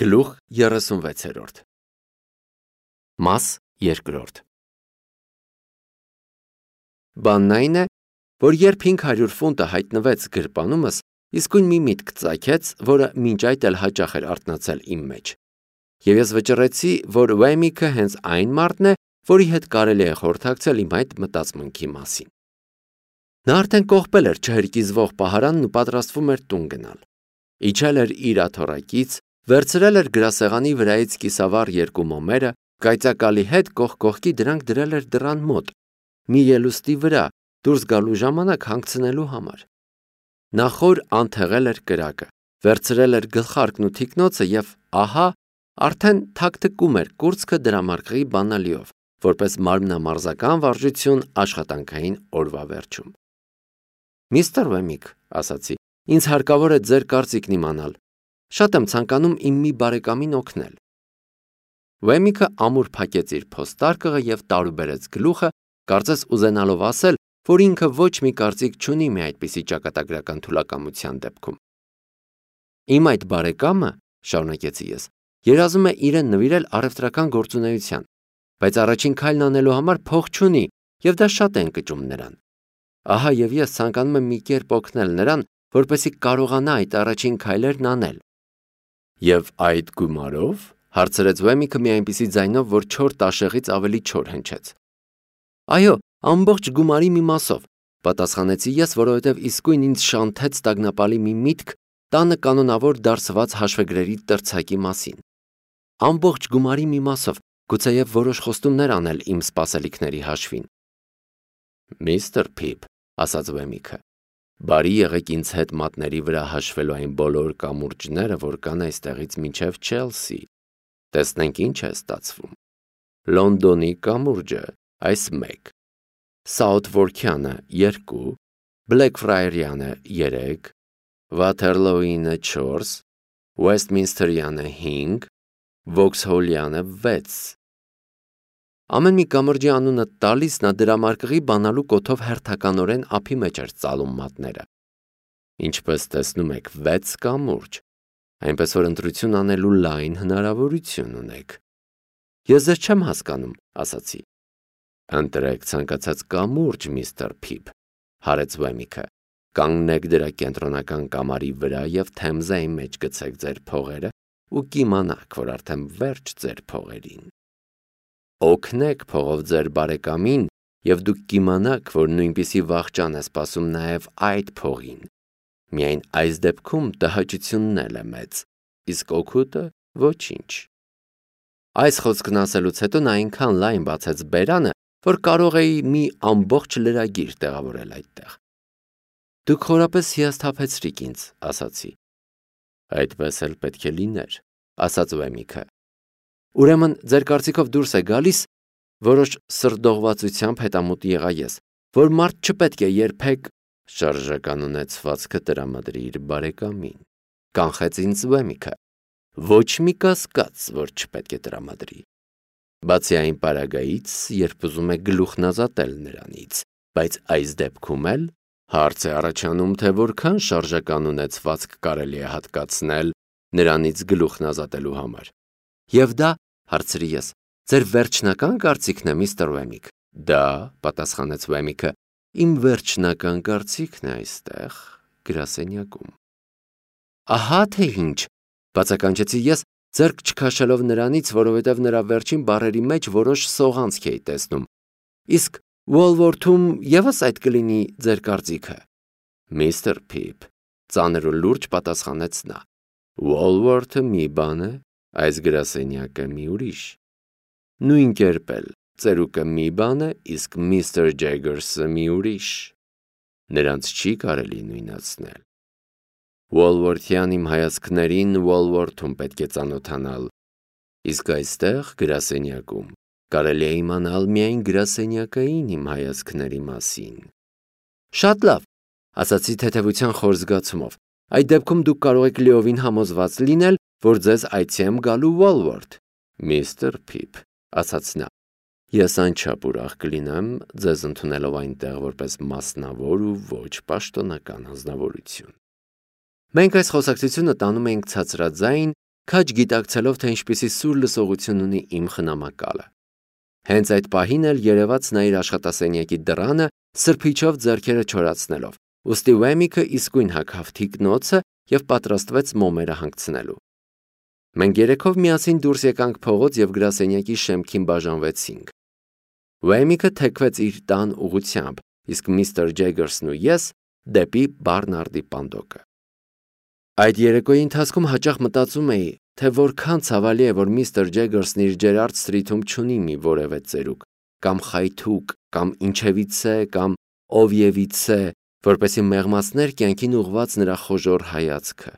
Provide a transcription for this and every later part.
Գլուխ 36 Մաս 2 Բանն այն է, որ երբ 500 ֆունտը հայտնվեց գրպանումս, իսկույն մի միտք ծագեց, որը մինչ այդ էլ հաճախ էր արթնացել իմ մեջ։ Եվ ես վճռեցի, որ Վեմիքը հենց այն մարդն է, որի հետ կարելի է խորհրդակցել իմ այդ մտածմունքի մասին։ Նա արդեն կողպել էր չհրկիզվող պահարանն ու պատրաստվում էր տուն գնալ։ Իջել էր իր աթոռակից, վերցրել էր գրասեղանի վրայից կիսավառ 2 մոմերը, կայծակալի հետ կողք կողքի դրանք դրել էր դռան մոտ, մի ելուստի վրա, դուրս գալու ժամանակ հանգցնելու համար։ Նա խոր անթեղել էր կրակը, վերցրել էր գլխարկն ու թիկնոցը և ահա, արդեն թաքթկում էր կուրծքը դրամարկղի բանալիով, որպես մարմնամարզական վարժություն աշխատանքային օրվա վերջում։ Միստր Վեմիք, ասացի, ինձ հարկավոր է ձեր կարծիքն իմանալ։ Շատ եմ ցանկանում իմ մի բարեկամին օգնել։ Վեմիքը ամուր փակեց իր փոստարկղը և տարուբերեց գլուխը, կարծես ուզենալով ասել, որ ինքը ոչ մի կարծիք չունի մի այդպիսի ճակատագրական թուլակամության դեպքում։ Իմ այդ բարեկամը, շարունակեցի ես, երազում է իրեն նվիրել առևտրական գործունեության, բայց առաջին քայլն անելու համար փող չունի, և դա շատ է ընկճում նրան։ Ահա և ես ցանկանում եմ մի կերպ օգնել նրան, որպեսզի կարողանա այդ առաջին քայլերն անել։ Եվ այդ գումարով, հարցրեց Վեմիքը մի այնպիսի ձայնով, որ չոր տաշեղից ավելի չոր հնչեց։ Այո, ամբողջ գումարի մի մասով, պատասխանեցի ես, որովհետև իսկույն ինձ շանթեց տագնապալի մի միտք տանը կանոնավոր դարսված հաշվեգրերի տրցակի մասին։ Ամբողջ գումարի մի մասով, գուցեև որոշ խոստումներ անել իմ սպասելիքների հաշվին։ Միստր Փիփ, ասաց Վեմիքը, բարի եղեք ինձ հետ մատների վրա հաշվելու այն բոլոր կամուրջները, որ կան այստեղից մինչև Չելսի։ Տեսնենք ինչ է ստացվում։ Լոնդոնի կամուրջը այս 1, Սաութվորքյանը 2, Բլեքֆրայերյանը 3, Վաթերլոյինը 4, Ուեսթմինսթերյանը 5, Վոքսհոլյանը 6։ Ամեն մի կամրջի անունը տալիս նա դրամարկղի բանալու կոթով հերթականորեն ափի մեջ էր ծալում մատները։ Ինչպես տեսնում եք 6 կամուրջ, այնպես որ ընտրություն անելու լայն հնարավորություն ունեք։ Ես ձեզ չեմ հասկանում, ասացի։ Ընտրեք ցանկացած կամուրջ, միստր Փիփ, հարեց Վեմիքը, կանգնեք դրա կենտրոնական կամարի վրա և Թեմզայի մեջ գցեք ձեր փողերը ու կիմանաք, որ արդեն վերջ ձեր փողերին։ Օգնեք փողով ձեր բարեկամին և դուք կիմանաք, որ նույնպիսի վախճան է սպասում նաև այդ փողին։ Միայն այս դեպքում տհաճությունն էլ է մեծ, իսկ օգուտը ոչինչ։ Այս խոսքն ասելուց հետո նա այնքան լայն բացեց բերանը, որ կարող էի մի ամբողջ լրագիր տեղավորել այդտեղ։ Դուք խորապես հիասթափեցրիք ինձ, ասացի։ Այդպես էլ պետք է լիներ, ասաց Վեմիքը։ Ուրեմն ձեր կարծիքով դուրս է գալիս, որոշ սրտողվածությամբ հետամուտ եղա ես, որ մարդ չպետք է երբեք շարժականունեցվածքը տրամադրի իր բարեկամին, կանխեց ինձ Վեմիքը, ոչ մի կասկած, որ չպետք է տրամադրի։ Բացի այն պարագայից, երբ ուզում է գլուխն ազատել նրանից, բայց այս դեպքում էլ հարց է առաջանում, թե որքան շարժականունեցվածք կարելի է հատկացնել նրանից գլուխն ազատելու համար։ Եվ դա, հարցրի ես, ձեր վերջնական կարծիքն է, միստր Վեմիք։ Դա, պատասխանեց Վեմիքը, իմ վերջնական կարծիքն է այստեղ, գրասենյակում։ Ահա թե ինչ, բացականչեցի ես, ձեռք չքաշելով նրանից, որովհետև նրա վերջին բառերի մեջ որոշ սողանցք էի տեսնում։ Իսկ Ուոլվորթում ևս այդ կլինի ձեր կարծիքը։ Միստր Փիփ, ծանր ու լուրջ պատասխանեց նա։ Ուոլվորթը մի բան է, այս գրասենյակը մի ուրիշ։ Նույն կերպ էլ ծերուկը մի բան է, իսկ միստր Ջեգերսը մի ուրիշ։ Նրանց չի կարելի նույնացնել։ Ուոլվորթյան իմ հայացքներին Ուոլվորթում պետք է ծանոթանալ, իսկ այստեղ գրասենյակում կարելի է իմանալ միայն գրասենյակային իմ հայացքների մասին։ Շատ լավ, ասացի թեթևության խոր զգացումով։ Այդ դեպքում դուք կարող եք լիովին համոզված լինել, որ ձեզ այցի եմ գալու Ուոլվորթ։ Միստր Փիփ, ասաց նա, ես անչափ ուրախ կլինեմ ձեզ ընդունելով այնտեղ որպես մասնավոր ու ոչ պաշտոնական անձնավորություն։ Մենք այս խոսակցությունը տանում էինք ցածրաձայն քաջ գիտակցելով, թե ինչպիսի սուր լսողություն ունի իմ խնամակալը։ Հենց այդ պահին էլ երևաց նա իր աշխատասենյակի դռանը, սրբիչով ձեռքերը չորացնելով, ուստի Ուեմիկը իսկույն հագավ թիկնոցը և պատրաստվեց մոմերը հանգցնելու։ Մենք երեքով միասին դուրս եկանք փողոց և գրասենյակի շեմքին բաժանվեցինք։ Ուեմիկը թեքվեց իր տան ուղղությամբ, իսկ միստր Ջեգերսն ու ես դեպի Բարնարդի պանդոկը։ Այդ երեկոյի ընթացքում հաճախ մտածում էի, թե որքան ցավալի է, որ միստր Ջեգերսն իր Ջերարդ Սթրիթում չունի մի որևէ ծերուկ, կամ խայթուկ, կամ ինչևիցե, կամ օվիևիցե, որպեսզի մեղմացներ կյանքին ուղղված նրա խոժոռ հայացքը։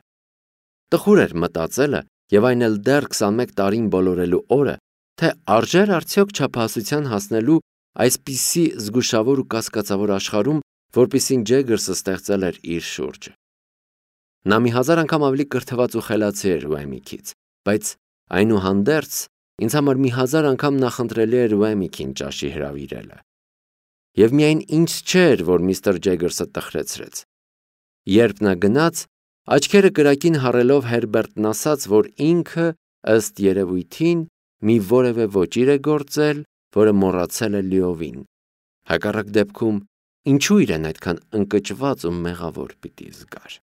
Տխուր էր մտածելը, և այն էլ դեռ 21 տարին բոլորելու օրը, թե արժեր արդյոք չափահասության հասնելու այսպիսի զգուշավոր ու կասկածավոր աշխարհում, որպիսին Ջեգերսը ստեղծել էր իր շուրջը։ Նա մի հազար անգամ ավելի կրթված ու խելացի էր Ուեմիկից, բայց այնուհանդերձ ինձ համար մի հազար անգամ նախընտրելի էր Ուեմիկին ճաշի հրավիրելը։ Եվ միայն ինձ չէր, որ միստր Ջեգերսը տխրեցրեց։ Երբ նա գնաց, աչքերը կրակին հառելով Հերբերտն ասաց, որ ինքը, ըստ երևույթին, մի որևէ ոճիր է գործել, որը մոռացել է լիովին։ Հակառակ դեպքում, ինչու իրեն այդքան ընկճված ու մեղավոր պիտի զգար։